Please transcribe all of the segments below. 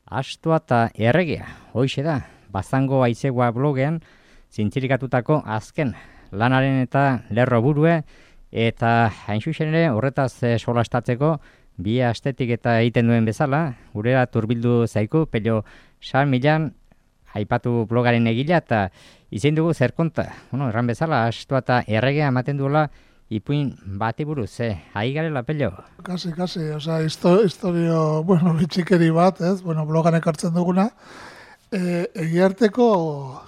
Astua eta erregea, hoixe da, Bazango Aizegoa blogean zintzirikatutako azken lanaren eta lerro burue, eta hain zuzen ere horretaz solastatzeko bi astetik eta egiten duen bezala, gurera turbildu zaiku, Pello San Millan, aipatu blogaren egila, eta izen dugu zer konta. Erran bezala, Astua eta erregea ematen duela ipuin bati buruz, ahi garela, Pello? Kasi, oza, historio, bitxikeri bat, ez? Blogan ekartzen duguna. Egiarteko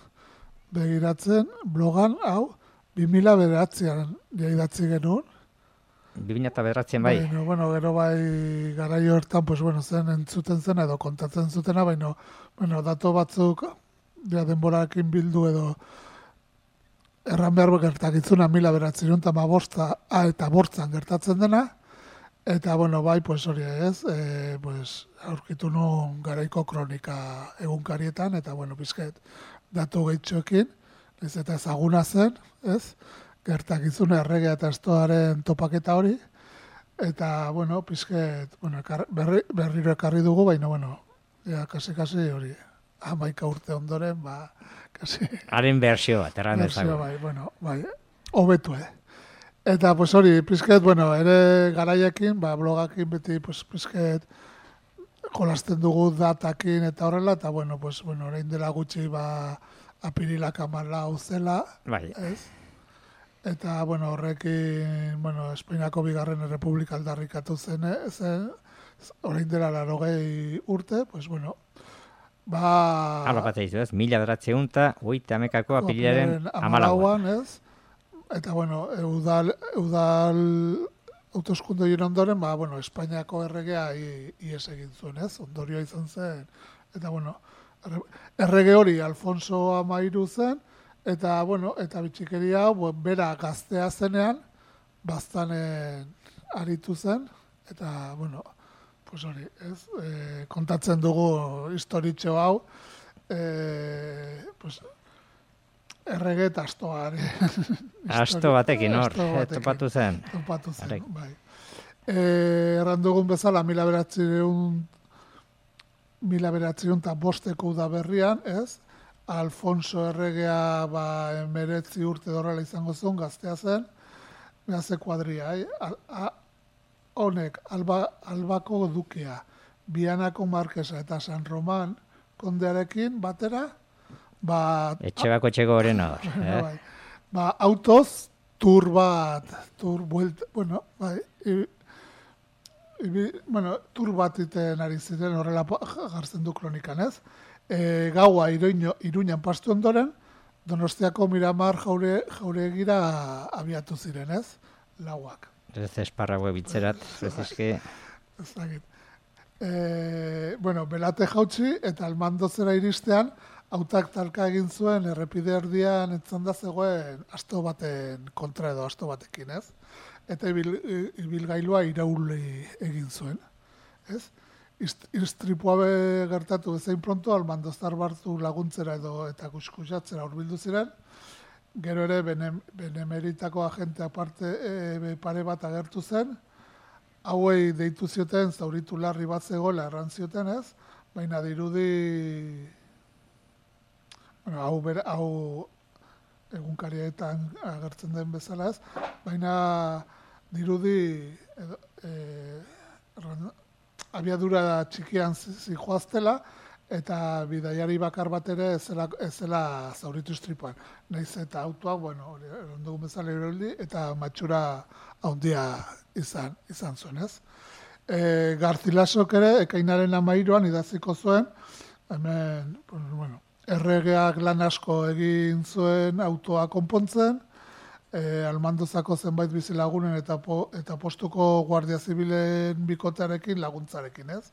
begiratzen, blogan, hau, 2009an idatzi genuen. 2009an bai? Gero bai garaio hortan, zen entzuten zen edo kontatzen zutena, dato batzuk denborarekin bildu edo erran behar gertakitzuna 1915 eta bortzan gertatzen dena, eta bai, hori ez, aurkitu nuen garaiko kronika egunkarietan, eta bizket datu gehitxoekin, ez eta ezaguna zen, ez, gertakizuna erregea eta Astuaren topaketa hori, eta, bizket, berriro ekarri dugu, baina, kasi hori, 11 urte ondoren, kasi... Haren bersio bat, erran dezago. Bai, hobetu, Eta, hori, bizket, ere garaiekin, blogakin beti, bizket, jolasten dugu datakin eta horrela, eta, orain dela gutxi, apirilak 14 zela, ez? Eta, horrekin, Espainiako bigarren errepublika aldarrikatu zen, orain dela 80 urte, Hala bat eizu, ez? 1980 apirilaren 14an. Ez? Eta, eudal autoskunde hien ondoren, Espainiako erregea ies egin zuen, ez? Ondorioa izan zen. Eta, errege hori Alfonso Amairu zen, eta, eta bitxikeria hau, bera gaztea zenean, baztanen aritu zen, eta, hori, ez? Kontatzen dugu historitxo hau, errege eta Astoari. Asto batekin hor, topatu zen. Topatu zen, bai. Erran dugun bezala, 1905 udaberrian, ez? Alfonso erregea 19 urte dorrela izango zuen, gaztea zen, gazte kuadria, honek, Albako dukea, Bianako markesa eta San Roman kondearekin batera, Etxebako etxeko horren hor. Autoz, tur bat iten ari ziren horrela gartzen du kronikan, ez? Gaua Iruñan pastu ondoren, Donostiako Miramar jauregira abiatu ziren, ez? Lauak. Ez esparrague bitzerat, ez eske... Belate jautsi eta Almandozera iristean, autak talka egin zuen errepide erdian etzanda zegoen asto baten kontra edo asto batekin, ez? Eta ibilgailua irauli egin zuen, ez? Istripua gertatu bezain pronto, Almandozar barzu laguntzera edo eta kuskusatzera hurbildu ziren, gero ere benemeritako agente aparte pare bat agertu zen, hauei deitu zioten zauritu larri bat zegoela erran zioten, ez? Baina dirudi hau egunkarietan agertzen den bezala, ez? Baina dirudi abiadura txikian zijoaztela eta bidaiari bakar bat ere ez zela zauritu istripuan. Naiz eta autoak, ondugun bezala iroldi, eta matxura handia izan zuen, ez? Garzilasok ere, ekainaren 13an idaziko zuen, hemen, erregeak lan asko egin zuen autoa konpontzen, Almandozako zenbait bizilagunen eta postuko guardia zibilen bikotearekin laguntzarekin, ez?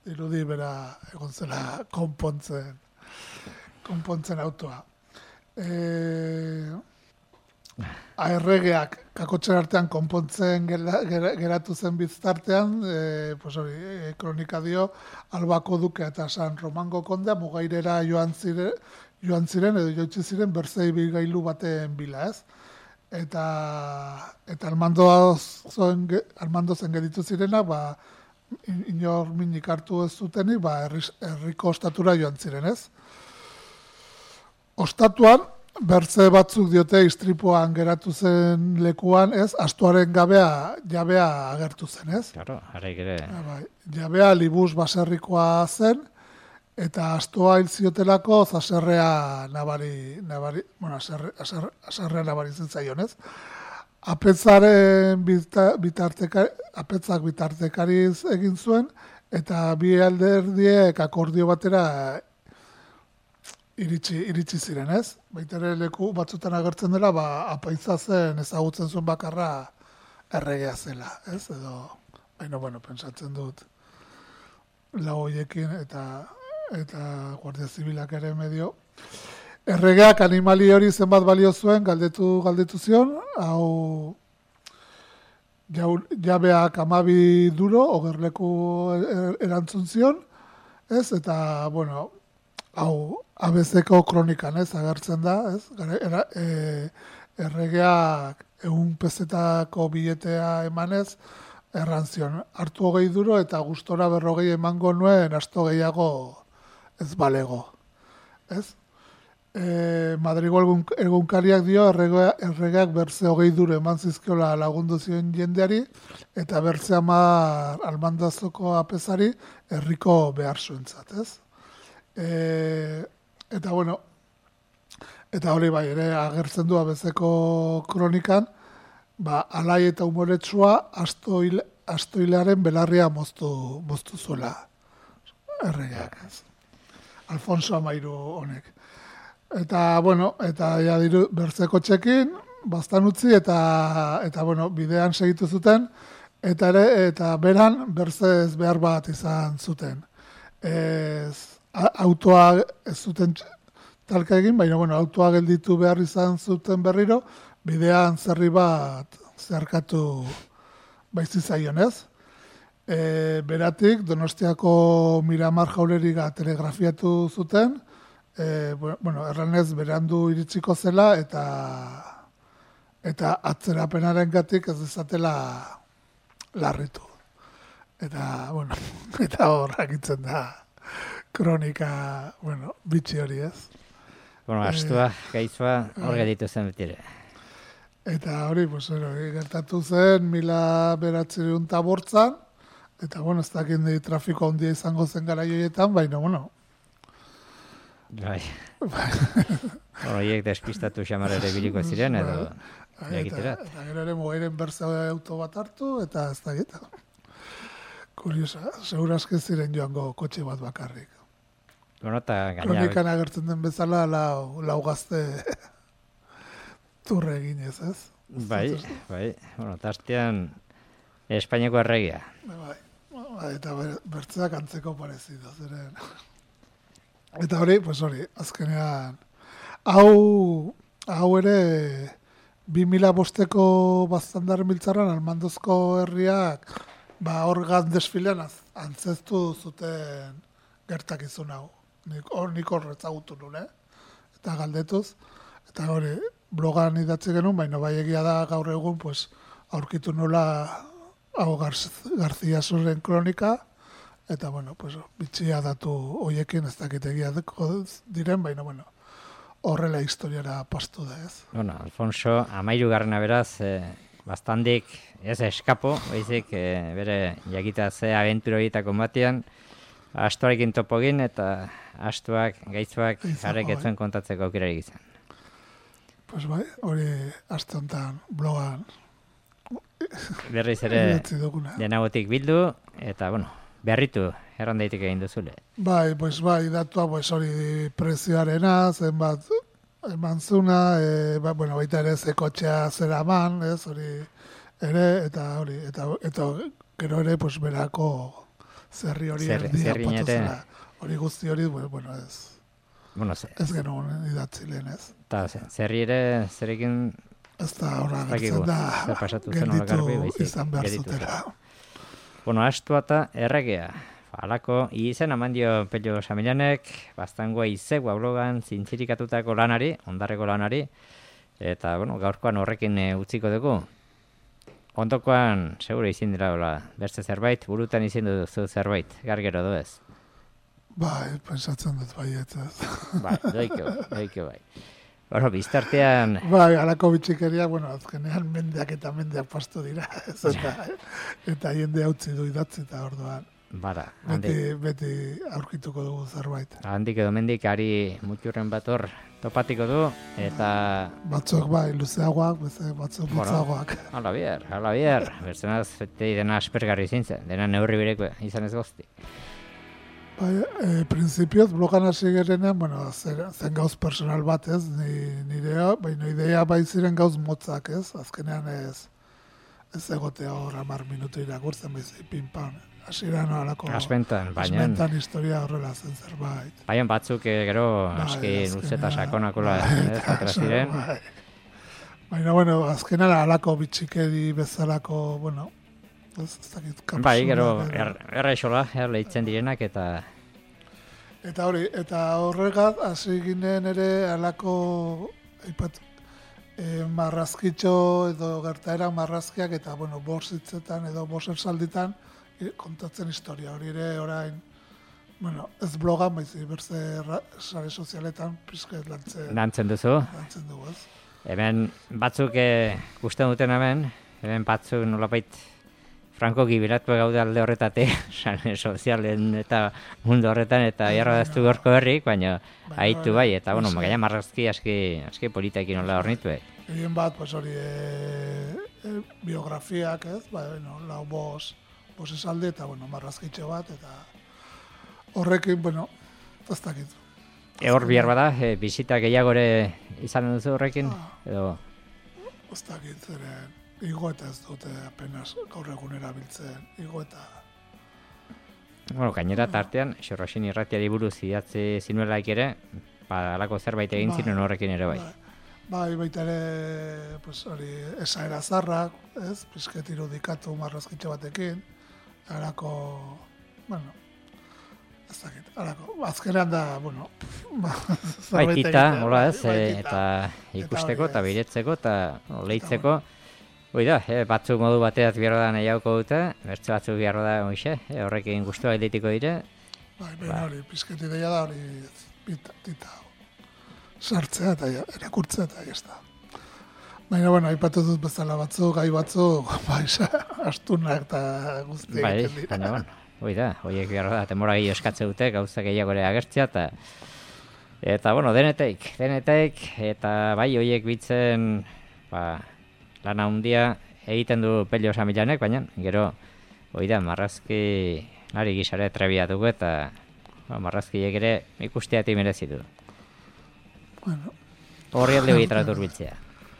Dirudi bera egon zela konpontzen autoa. Erregeak kakotxen artean konpontzen geratu zen biztartean, kronika dio, Albako duke eta San Romango kondea mugairera joan ziren edo joitzi ziren berzei bilgailu baten bila, ez? Eta Almandozen geditu zirenak, inor minik hartu ez zutenik, herriko ostatura joan ziren, ez? Ostatuan, bertze batzuk diote istripuan geratu zen lekuan, ez? Astuaren jabea agertu zen, ez? Claro, araik ere. Jabea libuz baserrikoa zen, eta astua hil ziotelako zaserrea aserrea nabari zitzaion, ez? Apetzaren apetzak bitartekariz egin zuen, eta bi alderdiek akordio batera iritsi ziren, ez? Baita ere leku batzutan agertzen dela, apaitza zen ezagutzen zuen bakarra erregea zela, ez? Edo, bueno, pentsatzen dut lau hoiekin eta Guardia Zibilak ere medio. Erregeak animali hori zenbat balio zuen, galdetu zion, hau jabeak 12 duro, ogerleku erantzun zion, ez? Eta, bueno, hau abezeko kronikan, ez? Agertzen da, ez? Erregeak 100 pezetako biletea emanez, errantzion, hartu 20 duro eta gustora 40 emango nuen asto gehiago ez balego, ez? Madrigo egunkariak dio erregeak berze 20 duro eman zizkiola lagundu zion jendeari eta berze 10 almandazoko apezari herriko behar zuentzat, ez? Eta bueno, eta hori bai ere agertzen du abezeko kronikan, alai eta umoretsua astoilearen belarria moztu zuela erregeak, ez? Alfonso XIII honek. Eta, bueno, eta ja diru bertzeko txekin, bastan utzi, eta bueno, bidean segitu zuten, eta beran bertzez behar bat izan zuten. Autoa ez zuten talka egin, baina, bueno, autoa gelditu behar izan zuten berriro, bidean zerri bat zeharkatu baitzizaion, ez? Beratik, Donostiako Miramar jauleriga telegrafiatu zuten, erranez berandu iritsiko zela eta atzerapenaren gatik ez dezatela larritu. Eta, bueno, eta horrak itzen da kronika, bitxi hori, ez? Astua, gaitzua, hor geditu zen betire. Eta hori, gertatu zen, 1908 eta, ez dakit trafiko handia izango zen gara joietan, baina, Bai. Horiek despistatu xamar ere biliko ziren, edo egiterat. Eta gero ere mogeiren berze auto bat hartu, eta ez dakit. Kuriosa, segurazke ziren joango kotxe bat bakarrik. Kronikan agertzen den bezala lau gazte turre eginez, ez? Bai. Tastean Espainiako erregia. Bai, eta bertzeak antzeko parezido, zeren. Eta hori, azkenean, hau ere 2005ko Baztandar Miltzarran Almandozko herriak hor desfilean antzeztu zuten gertakizun hau. Nik horretzagutu nuen, eta galdetuz. Eta hori, blogan idatzi genuen, baina bai egia da gaur egun aurkitu nola hau Garzia Zurren kronika, eta, bitxia datu hoiekin ez dakitegia diren, baina, horrela historiara pastu da, ez? Alfonso, 13. Beraz, bastandik ez eskapo, baizik bere jakita ze abentura horietako batean, astuarekin topogin eta astuak, gaitzuak, jarrek etzuen kontatzeko aukerarik izan. Bai, hori aste honetan blogan berriz ere denagotik bildu, eta, berritu, erran daitik egin duzule. Bai, datua, hori prezioarena, zenbat eman zuna, baita ere ze kotxea zera eman, ez, hori ere, eta hori, eta gero ere, berako zerri hori erdia patu zela. Hori guzti hori, ez. Ez genuen idatzi lehen, ez. Eta zerri ere, zerekin... Ez da horra gertzen da, gelditu izan behar zutera. Astua eta erregea. Halako, izen amandio Pello Samilanek, Baztangoa izegua blogan zintzirikatutako lanari, ondarreko lanari, eta, gaurkoan horrekin utziko dugu. ondokoan, segure izin dira, beste zerbait, burutan izin duzu zerbait, gargero du ez? Bai, pensatzen dut baietz ez. Bai, doiko bai. Bueno, biztartean... Bai, alako bitxikeria, bueno, azkenean mendeak pastu dira, ez, eta jende utzi du idatzi eta orduan. Bara, beti aurkituko dugu zerbait. Handik edo mendik ari mutxurren bat hor topatiko du, eta... Batzuk bai, luzeagoak, batzuk mutzagoak. Hala bier. Berzenaz, dena aspergarri zintzen, dena neurri bereko izan ez gozti. Bai, prinsipioz, blogan hasi gerenean, bueno, zen gauz personal bat ez, baina idea bai ziren gauz motzak ez, azkenean ez egotea hor 10 minutu irakurtzen baizik pinpan. Hasieran alako... Asmentan historia horrela zen zerbait. Baina batzuk gero aski luzeta sakonakola atera ziren. Baina, bueno, azkenan alako bitxikeri bezalako, bueno, ez dakit kapsula. Bai, gero errexola, lehitzen direnak eta... Eta hori, eta horregat, hasi ginen ere alako, marrazkitxo edo gertaerak marrazkiak eta, bueno, borsitzetan edo borsersalditan, kontatzen historia hori ere orain, bueno, ez blogan, baizik berze sare sozialetan pizket lantzen duzu. Lantzen dugu, ez? Hemen batzuk gusten duten hemen batzuk nolapait franko gibiratu gaude alde horretatik, sare sozialen eta mundu horretan, eta jarra daztu gorko herrik, baina haitu bai, eta bueno, gaina marrazki aski politekin nola hornitu. Egin bat, pues hori, biografiak, ez? Bueno, lau bos esalde eta, bueno, marrazkitxe bat, eta horrekin, bueno, ez dakit. Hor bihar bada, bizita gehiagore izan duzu horrekin? Edo... Ez dakit, zeren, igo eta ez dute apenas gaur egun erabiltzen, igo eta... Bueno, gainera tartean, Xorroxin irratiari buruz idatzi zinuelaik ere, alako zerbait egin ziren horrekin ere bai. Bai, baita ere, pues hori, esaera zarrak, ez, pizket irudikatu marrazkitxe batekin, harako, bueno, ez dakit, harako, azkenean da, bueno, baitita, hola ez, eta ikusteko, eta biretzeko, eta lehitzeko, da, batzuk modu bateaz biarro da nahiauko dute, bertze batzuk biarro da, horrekin guztua editiko dire. Bai, hori, pizket ideia da, hori, tita, sartzea eta erakurtzea eta ez da. Baina, bueno, aipatu dut bezala batzuk, gai batzuk, astunak eta guzti egiten dira. Baina, bueno, horiek behar da, temora gehiago eskatze dute, gauza gehiagore agertzea, eta, bueno, deneteik, eta bai, horiek bitzen, lana handia egiten du Pello Samilanek, baina, gero, marrazki, nari gizare trebia dugu, eta marrazkiek ere ikusteati merezi du. Bueno. Horri alde literatur biltzea.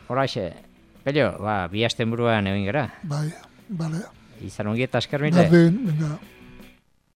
Horaxe, Pello, bi asten buruan egin gara. Bai, bale. Izan ongi eta esker mile. Berdin, venga.